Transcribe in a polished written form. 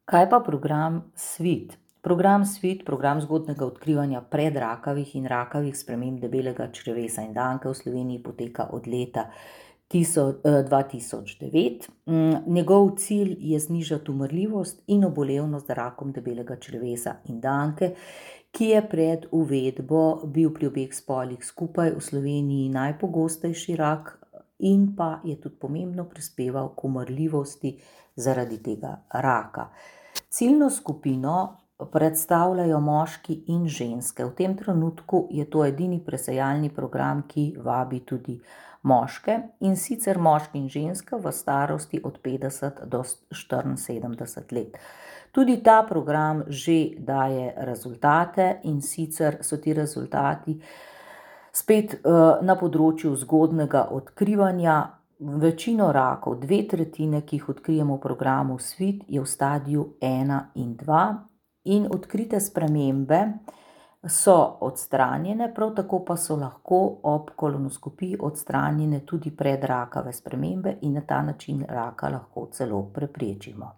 Kaj pa program SWIT? Program SWIT, program zgodnjega odkrivanja predrakavih in rakavih sprememb debelega črevesa in danke v Sloveniji poteka od leta 2009. Njegov cilj je znižati umrljivost in obolevnost za rakom debelega črevesa in danke, ki je pred uvedbo bil pri obeh spolih skupaj v Sloveniji najpogostejši rak in pa je tudi pomembno prispeval k umrljivosti zaradi tega raka. Ciljno skupino predstavljajo moški in ženske. V tem trenutku je to edini presejalni program, ki vabi tudi moške, in sicer moški in ženske v starosti od 50 do 74 let. Tudi ta program že daje rezultate, in sicer so ti rezultati spet na področju zgodnjega odkrivanja. Večino rakov, 2/3, ki jih odkrijemo v programu SWIT, je v stadiju 1 in 2 in odkrite spremembe so odstranjene, prav tako pa so lahko ob kolonoskopiji odstranjene tudi predrakave spremembe in na ta način raka lahko celo preprečimo.